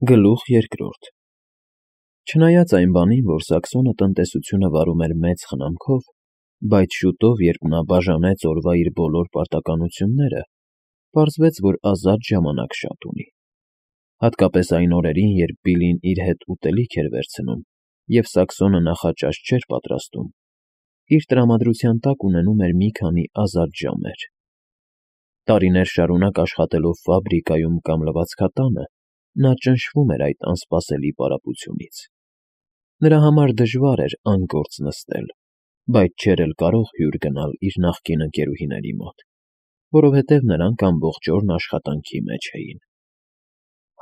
Գլուխ երկրորդ Չնայած այն բանին, որ Սաքսոնը տնտեսությունը վարում էր մեծ խնամքով, բայց շուտով, երբ նա բաժանեց օրվա իր բոլոր պարտականությունները, պարզվեց, որ ազատ ժամանակ շատ ունի։ Հատկապես այն օրերին, երբ Բիլին իր հետ ուտելիք էր վերցնում, և Սաքսոնը նախաճաշ չէր պատրաստում, իր տրամադրության տակ ունենում էր մի քանի ազատ ժամեր։ Տարիներ շարունակ աշխատելով ֆաբրիկայում կամ լվացքատանը, նա ճնշվում էր այդ անսպասելի պարապությունից։ Նրա համար դժվար էր անգործ նստել, բայց չէր էլ կարող հյուր գնալ իր նախկին ընկերուհիների մոտ, որովհետև նրանք ամբողջ օրն աշխատանքի մեջ էին։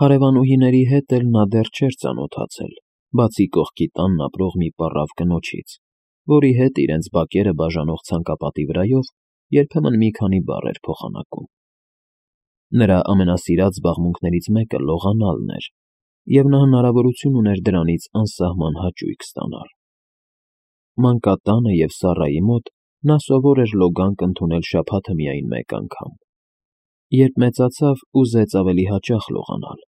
Հարևանուհիների հետ էլ նա դեռ չէր ծանոթացել, բացի կողքի տանն ապրող մի պառավ կնոջից, որի հետ իրենց բակերը բաժանող ցանկապատի վրայով երբեմն մի քանի բառ էր փոխանակում։ Նրա ամենասիրած զբաղմունքներից մեկը լողանալն էր, և նա հնարավորություն ուներ դրանից անսահման հաճույք ստանալ։ Մանկատանը և Սառայի մոտ նա սովոր էր լոգանք ընդունել շաբաթը միայն մեկ անգամ։ Երբ մեծացավ, ուզեց ավելի հաճախ լողանալ,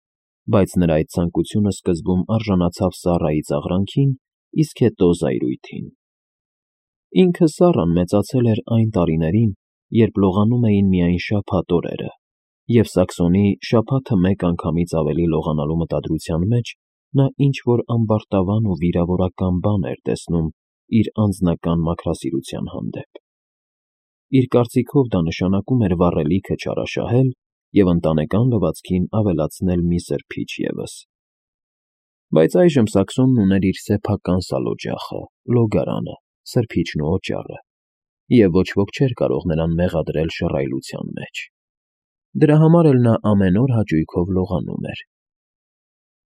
բայց նրա այդ ցանկությունը սկզբում արժանացավ Սառայի ծաղրանքին, իսկ հետո զայրույթին։ Ինքը Սառան մեծացել էր այն տարիներին, երբ լողանում էին միայն շաբաթ օրերը, և Սաքսոնի շաբաթը մեկ անգամից ավելի լողանալու մտադրության մեջ նա ինչ-որ ամբարտավան ու վիրավորական բան էր տեսնում իր անձնական մաքրասիրության հանդեպ։ Իր կարծիքով դա նշանակում էր վառելիքը չարաշահել և ընտանեկան լվացքին ավելացնել մի սրբիչ ևս։ Բայց այժմ Սաքսոնն ուներ իր սեփական սալօջախը, լոգարանը, սրբիչն ու օճառը, և ոչ ոք չէր կարող նրան մեղադրել շռայլության մեջ։ Դրա համար էլ նա ամեն օր հաճույքով լողանում էր։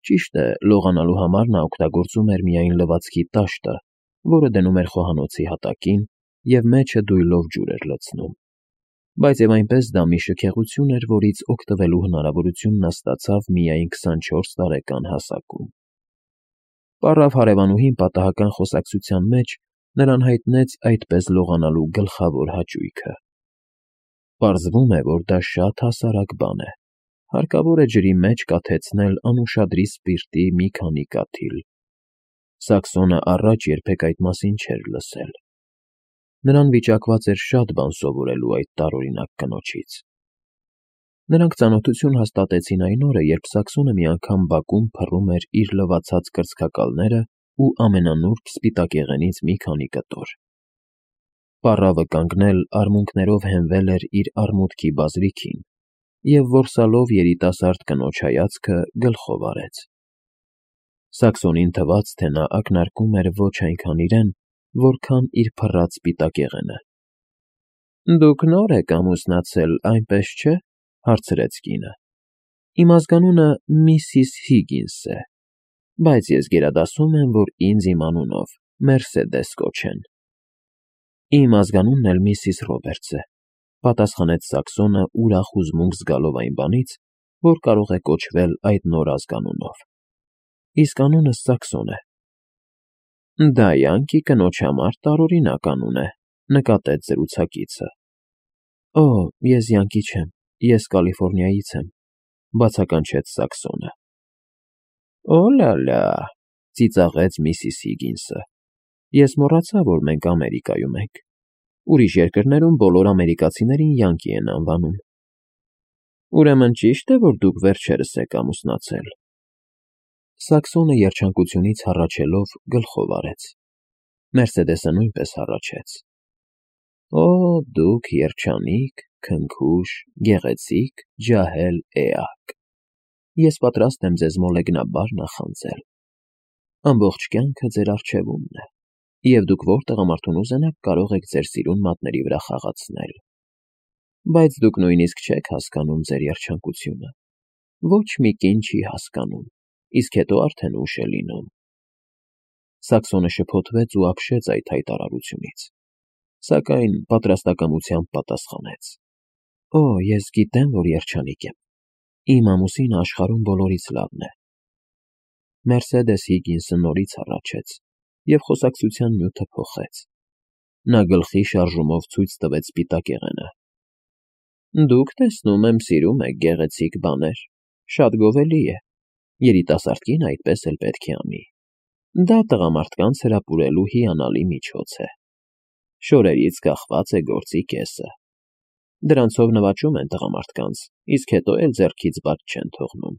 Ճիշտ է, լողանալու համար նա օգտագործում էր միայն լվացքի տաշտը, որը դնում էր խոհանոցի հատակին և մեջը դույլով ջուր էր լցնում։ Բայց և այնպես դա մի շքեղություն էր, որից օգտվելու հնարավորություն նա ստացավ միայն 24 տարեկան հասակում։ Պառավ հարևանուհին պատահական խոսակցության մեջ նրան հայտնեց այդպես լողանալու գլխավոր հաճույքը։ Պարզվում է, որ դա շատ հասարակ բան է։ Հարկավոր է ջրի մեջ կաթեցնել անուշադրի սպիրտի մի քանի կաթիլ։ Սաքսոնը առաջ երբեք այդ մասին չէր լսել։ Նրան վիճակված էր շատ բան սովորելու այդ տարօրինակ կնոջից։ Նրանք ծանոթություն հաստատեցին այն օրը, երբ Սաքսոնը մի անգամ բակում փռում էր իր լվացած կրծքակալները ու ամենանուրբ սպիտակեղենից մի քանի կտոր։ Պառավը կանգնել արմունկներով հենվել էր իր արմուտքի բազրիքին և որսալով երիտասարդ կնոջ հայացքը գլխով արեց։ Սաքսոնին թվաց, թե նա ակնարկում էր ոչ այնքան իրեն, որքան իր փռած սպիտակեղենը։ «Դուք նոր եք ամուսնացել, այնպես չէ՞», հարցրեց կինը։ «Իմ ազգանունը Միսիս Հիգինս է, բայց ես գերադասում եմ, որ ինձ իմ անունով Մերսեդես կոչեն»։ «Իմ ազգանունն էլ Միսիս Ռոբերտս է», պատասխանեց Սաքսոնը ուրախ հուզմունք զգալով այն բանից, որ կարող է կոչվել այդ նոր ազգանունով։ «Իսկ անունս Սաքսոն է»։ «Դա յանկի կնոջ համար տարօրինակ անուն է», նկատեց զրուցակիցը։ «Օ, ես յանկի չեմ, ես Կալիֆոռնիայից եմ», բացականչեց Սաքսոնը։ «Օ՛լա֊լա», ծիծաղեց միսիս Հիգինսը։ «Ես մոռացա, որ մենք Ամերիկայում ենք։ Ուրիշ երկրներում բոլոր ամերիկացիներին յանկի են անվանում»։ «Ուրեմն ճիշտ է, որ դուք վերջերս եք ամուսնացել»։ Սաքսոնը երջանկությունից հառաչելով գլխով արեց։ Մերսեդեսը նույնպես հառաչեց։ «Օ, դուք երջանիկ, քնքուշ, գեղեցիկ, ջահել էակ։ Ես պատրաստ եմ ձեզ մոլեգնաբար նախանձել։ Ամբողջ կյանքը ձեր առջևումն է, և դուք որ տղամարդուն ուզենաք, կարող եք ձեր սիրուն մատների վրա խաղացնել։ Բայց դուք նույնիսկ չեք հասկանում ձեր երջանկությունը։ Ոչ մի կին չի հասկանում, իսկ հետո արդեն ուշ է լինում»։ Սաքսոնը շփոթվեց ու ապշեց այդ հայտարարությունից, սակայն պատրաստակամությամբ պատասխանեց. «Օ, ես գիտեմ, որ երջանիկ եմ։ Իմ ամուսինը աշխարհում բոլորից լավն է»։ Մերսեդես Հիգինսը նորից հառաչեց և խոսակցության նյութը փոխեց։ Նա գլխի շարժումով ցույց տվեց սպիտակեղենը։ «Դուք, տեսնում եմ, սիրում եք գեղեցիկ բաներ, շատ գովելի է։ երիտասարդ կին այդպես էլ պետք է անի։ Դա տղամարդկանց հրապուրելու հիանալի միջոց է։ Շորերից կախված է գործի կեսը։ Դրանցով նվաճում են տղամարդկանց, իսկ հետո էլ ձեռքից բաց չեն թողնում։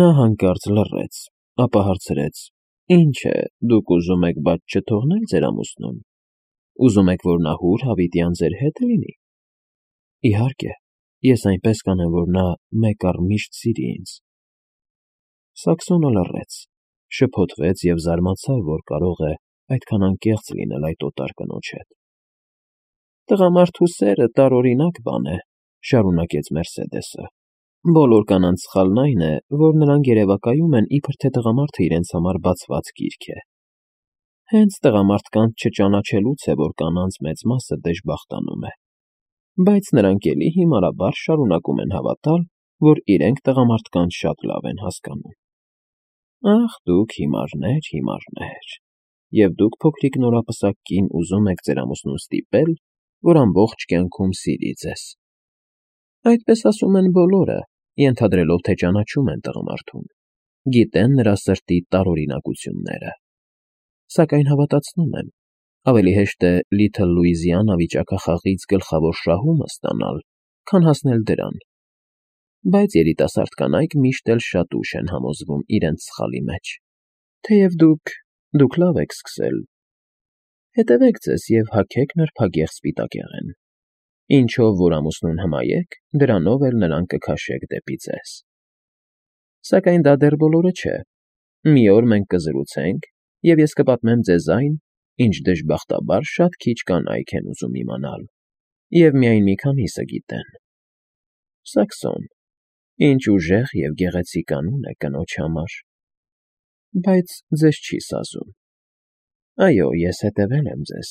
Նա հանկարծ լռեց, ապա հարցրեց. «Ինչ է, դուք ուզում եք բաց չթողնել ձեր ամուսնուն։ Ուզում եք, որ նա հուր հավիտյան ձեր հետ լինի»։ Իհարկե, ես այնպես կանեմ, որ նա մեկ առ միշտ սիրի ինձ։ Սաքսոնը լռեց, շփոթվեց և զարմացավ, որ կարող է այդքան անկեղծ լինել այդ օտար կնոջ հետ։ Տղամարդու սերը տարօրինակ բան է, շարունակեց Մերսեդեսը։ Բոլոր կանանց սխալն այն է, որ նրանք երևակայում են, իբր թե տղամարդը իրենց համար բացված գիրք է։ Հենց տղամարդկանց չճանաչելուց է, որ կանանց մեծ մասը դժբախտանում է։ Բայց նրանք էլի հիմարաբար շարունակում են հավատալ, որ իրենք տղամարդկանց շատ լավ են հասկանում։ Ախ, դուք հիմարներ, հիմարներ, և դուք փոքրիկ նորապսակ կին ուզում եք ձեր ամուսնուն ստիպել, որ ամբողջ կյանքում սիրի ձեզ։ Այդպես ասում են բոլորը, ենթադրելով, թե ճանաչում են տղամարդուն, գիտեն նրա սրտի տարօրինակությունները։ Սակայն հավատացնում եմ, ավելի հեշտ է Լիթլ Լուիզիանա վիճակախաղից գլխավոր շահումը ստանալ, քան հասնել դրան։ Բայց երիտասարդ կանայք միշտ էլ շատ ուշ են համոզվում իրենց սխալի մեջ։ Թեև դուք լավ եք սկսել։ Հետևեք ձեզ և հագեք նրբագեղ սպիտակեղեն։ Ինչով որ ամուսնուն հմայեք, դրանով էլ նրան կքաշեք դեպի ձեզ։ Սակայն դա դեռ բոլորը չէ։ Մի օր մենք կզրուցենք, և ես կպատմեմ ձեզ այն, ինչ դժբախտաբար շատ քիչ կանայք են ուզում իմանալ, և միայն մի քանիսը գիտեն։ Սաքսոն, ինչ ուժեղ և գեղեցիկ անուն է կնոջ համար։ Բայց ձեզ չի սազում։ Այո, ես հետևել եմ ձեզ։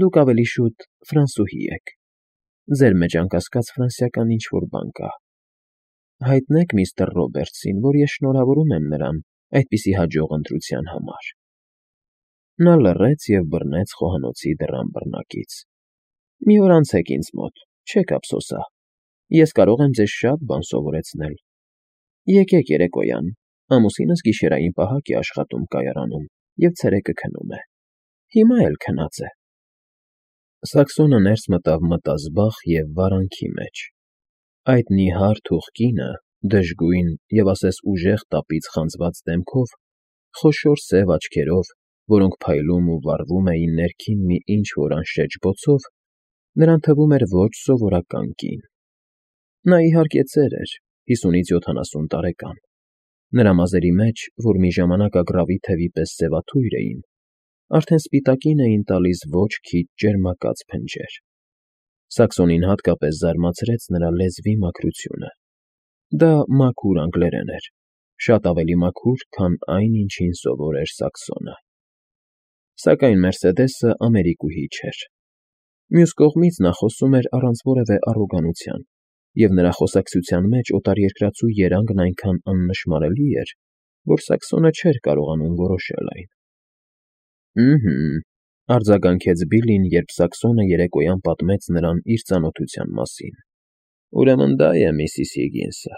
Դուք ավելի շուտ ֆրանսուհի եք։ Ձեր մեջ անկասկած ֆրանսիական ինչ-որ բան կա։ Հայտնեք միստր Ռոբերտսին, որ ես շնորհավորում եմ նրան այդպիսի հաջող ընտրության համար։ Նա լռեց և բռնեց խոհանոցի դռան բռնակից։ Մի օր անցեք ինձ մոտ, չեք ափսոսա։ Ես կարող եմ ձեզ շատ բան սովորեցնել։ Եկեք երեկոյան, ամուսինս գիշերային պահակ է աշխատում կայարանում և ցերեկը քնում է։ Հիմա էլ քնած է։ Սաքսոնը ներս մտավ մտազբաղ և վարանքի մեջ։ Այդ նիհար թուխ կինը, դժգույն և ասես ուժեղ տապից խանձված դեմքով, խոշոր սև աչքերով, որոնք փայլում ու վառվում էին ներքին մի ինչ֊որ անշեջ բոցով, նրան թվում էր ոչ սովորական կին։ Նա իհարկե ծեր էր, 50-ից 70 տարեկան։ Նրա մազերի մեջ, որ մի ժամանակ ագռավի թևի պես սևաթույր էին, արդեն սպիտակին էին տալիս ոչ քիչ ճերմակած փնջեր։ Սաքսոնին հատկապես զարմացրեց նրա լեզվի մաքրությունը։ Դա մաքուր անգլերեն էր, շատ ավելի մաքուր, քան այն, ինչին սովոր էր Սաքսոնը։ Սակայն Մերսեդեսը ամերիկուհի չէր։ Մյուս կողմից նա խոսում էր առանց որևէ առոգանության, և նրա խոսակցության մեջ օտարերկրացու երանգն այնքան աննշմարելի էր, որ Սաքսոնը չէր կարողանում որոշել այն։ Արձագանքեց Բիլլին, երբ Սաքսոնը երեկոյան պատմեց նրան իր ծանոթության մասին։ Ուրեմն դա է Միսիս Հիգինսը։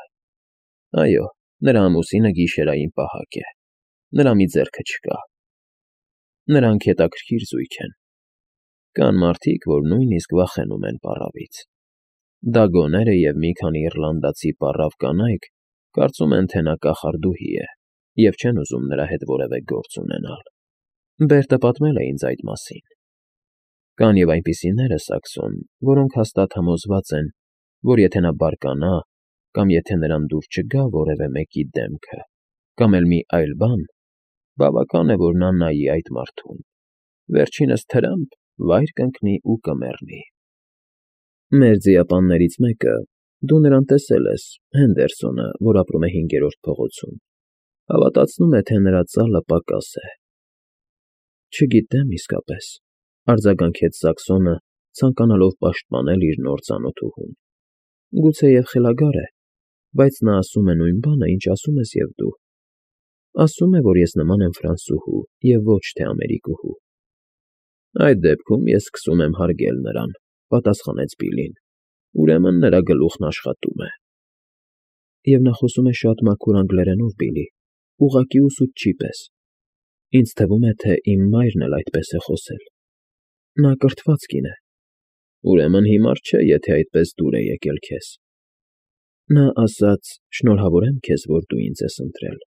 Այո, նրա ամուսինը գիշերային պահակ է։ Նրա մի ձեռքը չկա։ Նրանք հետաքրքիր զույգ են։ Կան մարդիկ, որ նույնիսկ վախենում են պառավից։ Դագոները և մի քանի իռլանդացի պառավ կանայք կարծում են, թե նա կախարդուհի է, և չեն ուզում նրա հետ որևէ գործ ունենալ։ Բերտը պատմել է ինձ այդ մասին։ Կան և այնպիսիները, Սաքսոն, որոնք հաստատ համոզված են, որ եթե նա բարկանա, կամ եթե նրան դուր չգա որևէ մեկի դեմքը, կամ էլ մի այլ բան, բավական է, որ նա նայի այդ մարդուն, վերջինս թրամփ վայր կընկնի ու կմեռնի։ Մեր ձիապաններից մեկը, դու նրան տեսել ես, Հենդերսոնը, որ ապրում է 5-րդ փողոցում, հավատացնում է, թե նրա ծալը պակաս է։ Չգիտեմ իսկապես, արձագանքեց Սաքսոնը, ցանկանալով պաշտպանել իր նոր ծանոթուհուն։ Գուցեև խելագար է, բայց նա ասում է նույն բանը, ինչ ասում ես և դու։ Ասում է, որ ես նման եմ ֆրանսուհու և ոչ թե ամերիկուհու։ Այդ դեպքում ես սկսում եմ հարգել նրան, պատասխանեց Բիլլին։ Ուրեմն նրա գլուխն աշխատում է։ և նա խոսում է շատ մաքուր անգլերենով, Բիլի, ուղղակի ուսուցչի պես։ Ինձ թվում է, թե իմ մայրն էլ այդպես է խոսել։ Նա կրթված կին է։ Ուրեմն հիմար չէ, եթե այդպես դուր է եկել քեզ։ Նա ասաց. «Շնորհավոր եմ քեզ, որ դու ինձ ես ընտրել։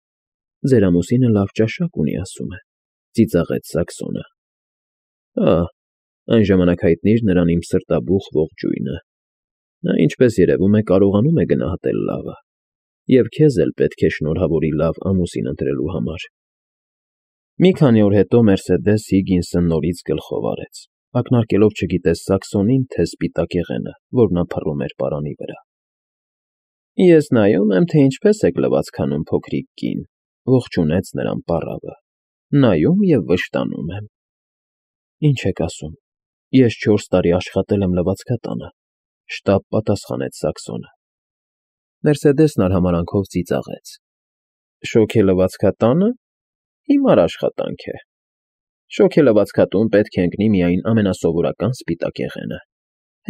Ձեր ամուսինը լավ ճաշակ ունի, ասում է», ծիծաղեց Սաքսոնը։ Ահ, այն ժամանակ հայտնիր նրան իմ սրտաբուխ ողջույնը։ Նա, ինչպես երևում է, կարողանում է գնահատել լավը, և քեզ էլ պետք է շնորհավորի լավ ամուսին ընտրելու համար։ Մի քանի օր հետո Մերսեդես Հիգինսը նորից գլխով արեց, ակնարկելով չգիտես Սաքսոնին, թե սպիտակեղենը, որ նա փռում էր պարանի վրա։ Ես նայում եմ, թե ինչպես եք լվացքանում, փոքրիկ կին, ողջունեց նրան պառավը։ Նայում և վշտանում եմ։ Ինչ եք ասում։ Ես 4 տարի աշխատել եմ լվացքատանը, շտապ պատասխանեց Սաքսոնը։ Մերսեդեսն արհամարհանքով ծիծաղեց։ Շոգելվացքատանը հիմար աշխատանք է։ Շոգելվացքատուն պետք է ընկնի միայն ամենասովորական սպիտակեղենը։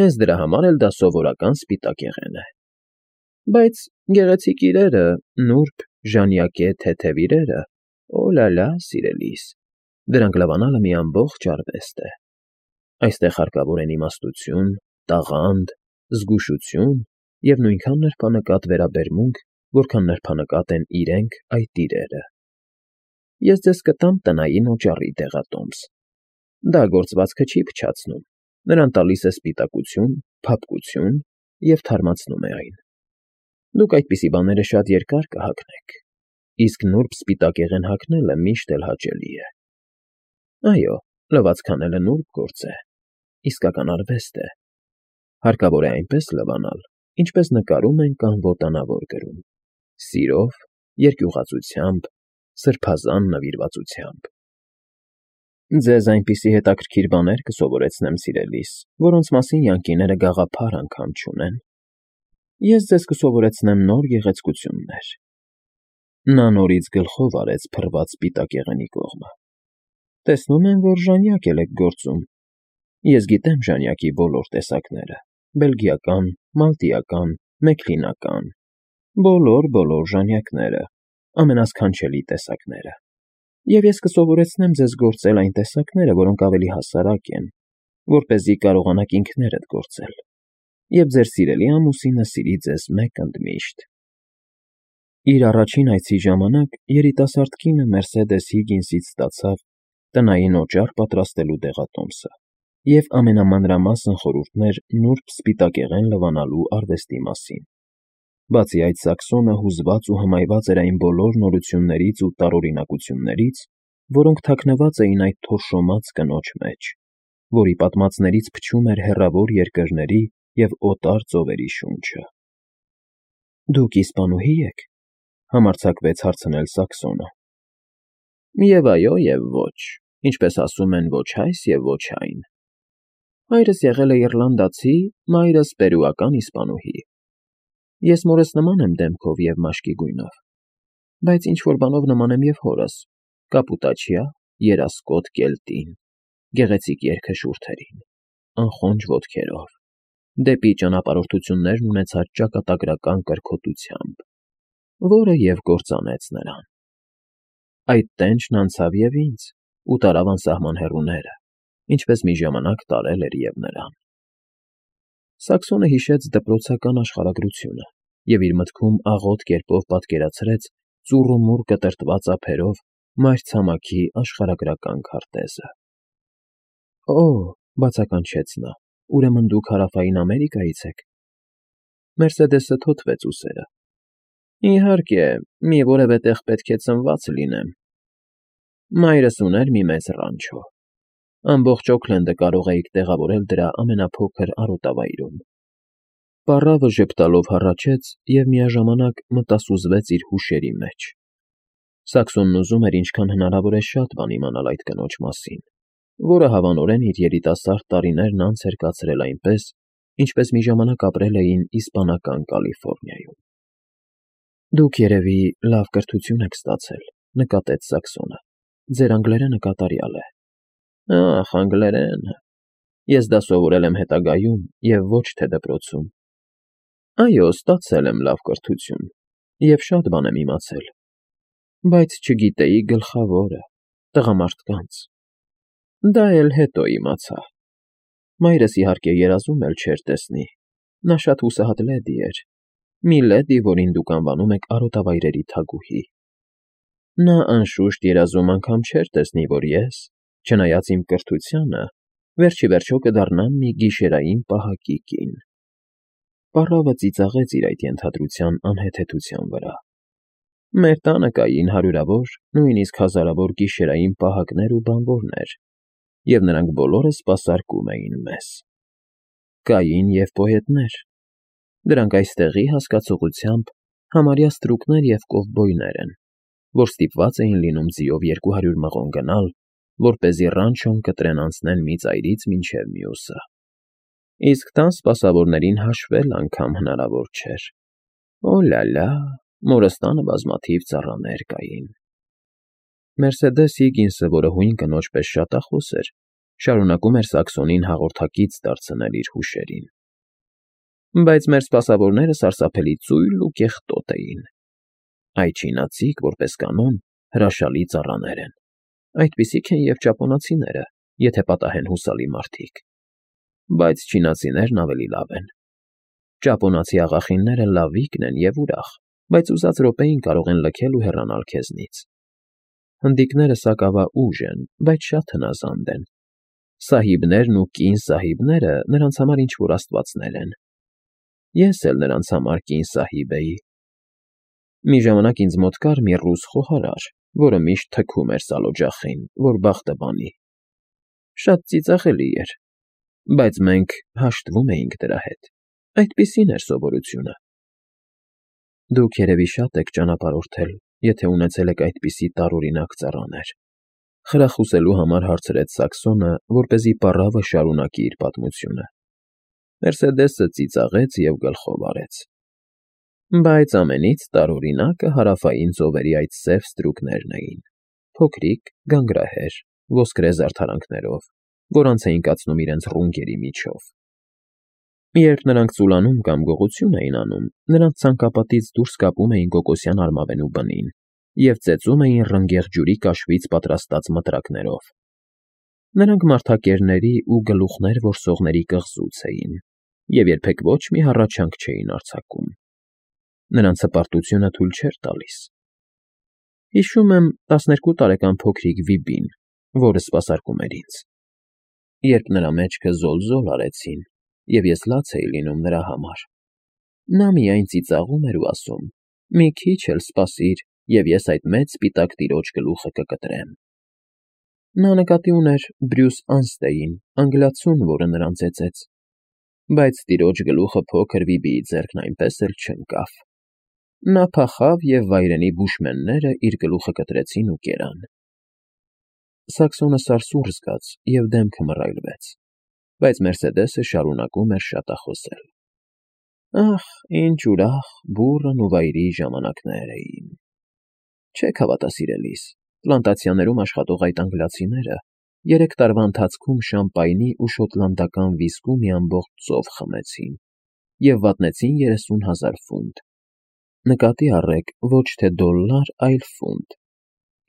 Հենց դրա համար էլ դա սովորական սպիտակեղեն է։ Բայց գեղեցիկ իրերը, նուրբ, ժանյակե, թեթև իրերը, օլալա, սիրելիս, դրանք լվանալը մի ամբողջ արվեստ է։ Այստեղ հարկավոր են իմաստություն, տաղանդ, զգուշություն և նույնքան նրբանկատ վերաբերմունք, որքան նրբանկատ են իրենք այդ իրերը։ Ես ձեզ կտամ տնային օճառի դեղատոմս։ Դա գործվածքը չի փչացնում, նրան տալիս է սպիտակություն, փափկություն և թարմացնում է այն։ Դուք այդպիսի բաները շատ երկար կհագնեք, իսկ նուրբ սպիտակեղեն հագնելը միշտ էլ հաճելի է։ Այո, լվացք անելը նուրբ գործ է, իսկական արվեստ է։ Հարկավոր է այնպես լվանալ, ինչպես նկարում են կամ ոտանավոր գրում, սիրով, երկյուղածությամբ, սրբազան նվիրվածությամբ։ Ձեզ այնպիսի հետաքրքիր բաներ կսովորեցնեմ, սիրելիս, որոնց մասին յանկիները գաղափար անգամ չունեն։ Ես ձեզ կսովորեցնեմ նոր գեղեցկություններ։ Նա նորից գլխով արեց փռված սպիտակեղենի կողմը։ Տեսնում եմ, որ ժանյակ էլ եք գործում։ Ես գիտեմ ժանյակի բոլոր տեսակները՝ բելգիական, մալտիական, մեքլինական, բոլոր ժանյակները, ամենասքանչելի տեսակները։ Եվ ես կսովորեցնեմ ձեզ գործել այն տեսակները, որոնք ավելի հասարակ են, որպեսզի կարողանաք ինքներդ գործել, և ձեր սիրելի ամուսինը սիրի ձեզ մեկ ընդմիշտ։ Իր առաջին այցի ժամանակ երիտասարդ կինը Մերսեդես Հիգինսից ստացավ տնային օճառ պատրաստելու դեղատոմսը և ամենամանրամասն խորհուրդներ նուրբ սպիտակեղեն լվանալու արվեստի մասին։ Բացի այդ, Սաքսոնը հուզված ու հմայված էր այն բոլոր նորություններից ու տարօրինակություններից, որոնք թաքնված էին այդ թորշոմած կնոջ մեջ, որի պատմածներից փչում էր հեռավոր երկրների և օտար ծովերի շունչը։ Դուք իսպանուհի եք, համարձակվեց հարցնել Սաքսոնը։ Եվ այո, և ոչ, ինչպես ասում են, ոչ այս և ոչ այն։ Հայրս եղել է իռլանդացի, մայրս պերուական իսպանուհի։ Ես մորս նման եմ դեմքով և մաշկի գույնով, բայց ինչ֊որ բանով նման եմ և հորս՝ կապուտաչյա, երասկոտ կելտին, գեղեցիկ երգաշուրթերին, անխոնջ ոտքերով, դեպի ճանապարհորդություններն ունեցած ճակատագրական կրքոտությամբ, որը և կործանեց նրան։ Այդ տենչն անցավ և ինձ ու տարավ անսահման հեռուները, ինչպես մի ժամանակ տարել էր և նրան։ Սաքսոնը հիշեց դպրոցական աշխարհագրությունը և իր մտքում աղոտ կերպով պատկերացրեց ծուռումուռ կտրտված ափերով մայրցամաքի աշխարհագրական քարտեզը։ Օ՜, բացականչեց նա, ուրեմն դուք Հարավային Ամերիկայից եք։ Մերսեդեսը թոթվեց ուսերը։ Իհարկե, մի որևէ տեղ պետք է ծնված լինեմ։ Մայրս ուներ մի մեծ ռանչո։ Ամբողջ Օքլենդը կարող էիք տեղավորել դրա ամենափոքր արոտավայրում։ Պառավը ժպտալով հառաչեց և միաժամանակ մտասուզվեց իր հուշերի մեջ։ Սաքսոնն ուզում էր ինչքան հնարավոր է շատ բան իմանալ այդ կնոջ մասին, որը հավանորեն իր երիտասարդ տարիներն անց էր կացրել այնպես, ինչպես մի ժամանակ ապրել էին իսպանական Կալիֆոռնիայում։ Դուք, երևի, լավ կրթություն եք ստացել, նկատեց Սաքսոնը։ Ձեր անգլերենը կատարյալ է։ Ախ, անգլերենը… Ես դա սովորել եմ հետագայում և ոչ թե դպրոցում։ Այո, ստացել եմ լավ կրթություն, Եվ շատ բան եմ իմացել, բայց չգիտեի գլխավորը՝ տղամարդկանց։ Դա էլ հետո իմացա։ Մայրս իհարկե երազում էլ չէր տեսնի, նա շատ հուսահատ լեդի էր, մի լեդի, որին դուք անվանում եք արոտավայրերի թագուհի։ Նա անշուշտ երազում անգամ չէր տեսնի, որ ես, չնայած իմ կրթությանը, վերջիվերջո կդառնամ մի գիշերային պահակի կին։ Պառավը ծիծաղեց իր այդ ենթադրության անհեթեթության վրա։ Մեր տանը կային հարյուրավոր, նույնիսկ հազարավոր գիշերային պահակներ ու բանվորներ, և նրանք բոլորը սպասարկում էին մեզ։ Կային և պոետներ։ Դրանք այստեղի հասկացողությամբ համարյա ստրուկներ և կովբոյներ են, որ ստիպված էին լինում ձիով 200 մղոն գնալ, որպեսզի ռանչոն կտրեն անցնեն մի ծայրից մինչև մյուսը։ Իսկ տան սպասավորներին հաշվել անգամ հնարավոր չէր։ Օ՛լա՛լա, մորս տանը բազմաթիվ ծառաներ կային։ Մերսեդես Հիգինսը, որը հույն կնոջ պես շատախոս էր, շարունակում էր Սաքսոնին հաղորդակից դարձնել իր հուշերին։ Բայց մեր սպասավորները սարսափելի ծույլ ու կեղտոտ էին։ Այչինացիք, որպես կանոն, հրաշալի ծառաներ են։ Այդպիսիք են և ճապոնացիները, եթե պատահեն հուսալի մարդիկ։ Բայց չինացիներն ավելի լավ են։ Ճապոնացի աղախինները լավիկն են և ուրախ, բայց ուզած րոպեին կարող են լքել ու հեռանալ քեզնից։ Հնդիկները սակավաուժ են, բայց շատ հնազանդ են։ Սահիբներն ու կին սահիբները նրանց համար ինչ֊որ աստվածներ են։ Ես էլ նրանց համար կին սահիբ էի։ Մի ժամանակ ինձ մոտ կար մի ռուս խոհարար, որը միշտ թքում էր սալօջախին, որ բախտը բանի։ Շատ ծիծաղելի էր, բայց մենք հաշտվում էինք դրա հետ։ Այդպիսին էր սովորությունը։ Դուք երևի շատ եք ճանապարհորդել, եթե ունեցել եք այդպիսի տարօրինակ ծառաներ, խրախուսելու համար հարցրեց Սաքսոնը, որպեսզի պառավը շարունակի իր պատմությունը։ Մերսեդեսը ծիծաղեց և գլխով արեց։ Բայց ամենից տարօրինակը հարավային ծովերի այդ սև ստրուկներն էին, փոքրիկ, գանգրահեր, ոսկրե զարդարանքներով, որոնց էին կացնում իրենց ռունգերի միջով։ Երբ նրանք ծուլանում կամ գողություն էին անում, նրանց ցանկապատից դուրս կապում էին կոկոսյան արմավենու բնին և ծեծում էին ռնգեղ ջուրի կաշվից պատրաստած մտրակներով։ Նրանք մարդակերների ու գլուխներ որսողների կղզուց էին և երբեք ոչ մի հառաչանք չէին արձակում։ Նրանց հպարտությունը թույլ չէր տալիս։ Հիշում եմ 12 տարեկան փոքրիկ Վիբին, որը սպասարկում էր ինձ։ Երբ նրա մեջքը զոլ-զոլ արեցին, և ես լաց էի լինում նրա համար, նա միայն ծիծաղում էր ու ասում. «Մի քիչ էլ սպասիր, և ես այդ մեծ սպիտակ տիրոջ գլուխը կկտրեմ»։ Նա նկատի ուներ Բրյուս Անստեյին, անգլիացուն, որը նրան ծեծեց։ Բայց տիրոջ գլուխը փոքր Վիբիի ձեռքն այնպես էլ չընկավ։ Նա փախավ, և վայրենի բուշմենները իր գլուխը կտրեցին ու կերան։ Սաքսոնը սարսուռ զգաց և դեմքը մռայլվեց, բայց Մերսեդեսը շարունակում էր շատախոսել. «Ախ, ինչ ուրախ, բուռն ու վայրի ժամանակներ էին։ Չեք հավատա, սիրելիս, պլանտացիաներում աշխատող այդ անգլիացիները 3 տարվա ընթացքում շամպայնի ու շոտլանդական վիսկու մի ամբողջ ծով խմեցին և վատնեցին 30,000 ֆունտ։ Նկատի առեք, ոչ թե դոլլար, այլ ֆունտ,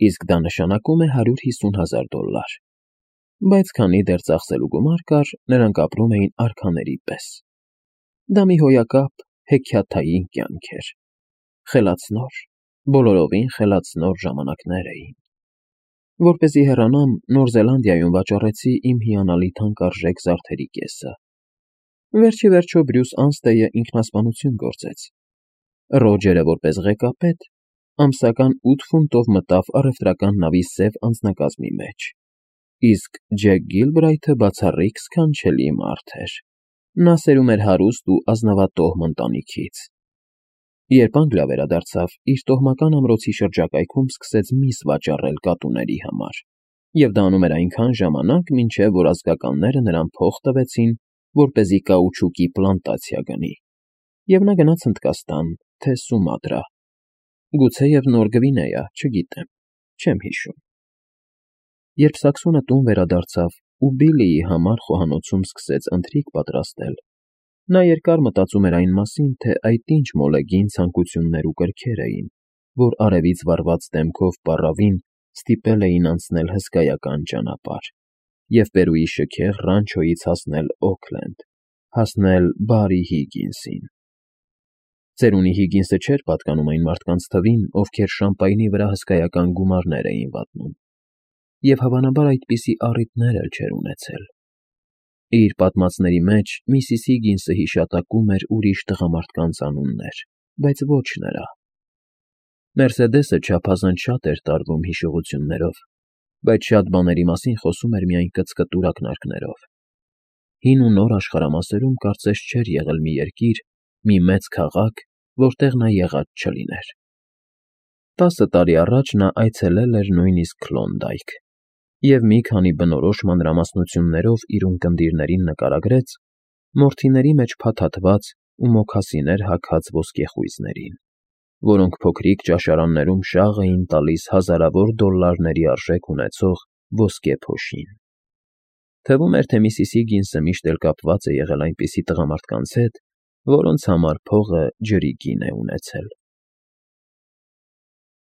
իսկ դա նշանակում է $150,000։ Բայց քանի դեռ ծախսելու գումար կար, նրանք ապրում էին արքաների պես։ Դա մի հոյակապ, հեքիաթային կյանք էր։ Խելացնոր, բոլորովին խելացնոր ժամանակներ էին։ Որպեսզի հեռանամ, Նոր Զելանդիայում վաճառեցի իմ հիանալի թանկարժեք զարդերի կեսը։ Վերջիվերջո Բրյուս Անստեյը ինքնասպանություն գործեց։ Ռոջերը, որպես ղեկապետ, ամսական 8 ֆունտով մտավ առևտրական նավի սև անձնակազմի մեջ, իսկ Ջեք Գիլբրայթը բացառիկ սքանչելի մարդ էր։ Նա սերում էր հարուստ ու ազնավատոհմ ընտանիքից։ Երբ Անգլիա վերադարձավ, իր տոհմական ամրոցի շրջակայքում սկսեց միս վաճառել կատուների համար, և դա անում էր այնքան ժամանակ, մինչև որ ազգականները նրան փող տվեցին, որպեսզի կաուչուկի պլանտացիա գնի, և նա գնաց Հնդկաստան, թե Սումատրա, գուցեև Նոր Գվինեա, չգիտեմ, չեմ հիշում։ Երբ Սաքսոնը տուն վերադարձավ ու Բիլլիի համար խոհանոցում սկսեց ընթրիք պատրաստել, Նա երկար մտածում էր այն մասին, թե այդ ինչ մոլեգին ցանկություններ ու կրքեր էին, որ արևից վառված դեմքով պառավին ստիպել էին անցնել հսկայական ճանապարհ և Պերուի շքեղ ռանչոյից հասնել Օքլենդ, հասնել բարի Հիգինսին։ Ծերունի Հիգինսը չէր պատկանում այն մարդկանց թվին, ովքեր շամպայնի վրա հսկայական գումարներ էին վատնում, և հավանաբար այդպիսի առիթներ էլ չէր ունեցել։ Իր պատմածների մեջ միսիս Հիգինսը հիշատակում էր ուրիշ տղամարդկանց անուններ, բայց ոչ նրա։ Մերսեդեսը չափազանց շատ էր տարվում հիշողություններով, բայց շատ բաների մասին խոսում էր միայն կծկտուր ակնարկներով։ Հին ու նոր աշխարհամասերում կարծես չէր եղել մի երկիր, մի մեծ քաղաք, որտեղ նա եղած չլիներ։ 10 տարի առաջ նա այցելել էր նույնիսկ Քլոնդայք և մի քանի բնորոշ մանրամասնություններով իր ունկնդիրներին նկարագրեց մորթիների մեջ փաթաթված ու մոքասիներ հագած ոսկեխույզներին, որոնք փոքրիկ ճաշարաններում շաղ էին տալիս հազարավոր դոլլարների արժեք ունեցող ոսկե փոշին։ Թվում էր, թե միսիս Հիգինսը միշտ էլ կապված է եղել այնպիսի տղամարդկանց հետ, որոնց համար փողը ջրի գին է ունեցել։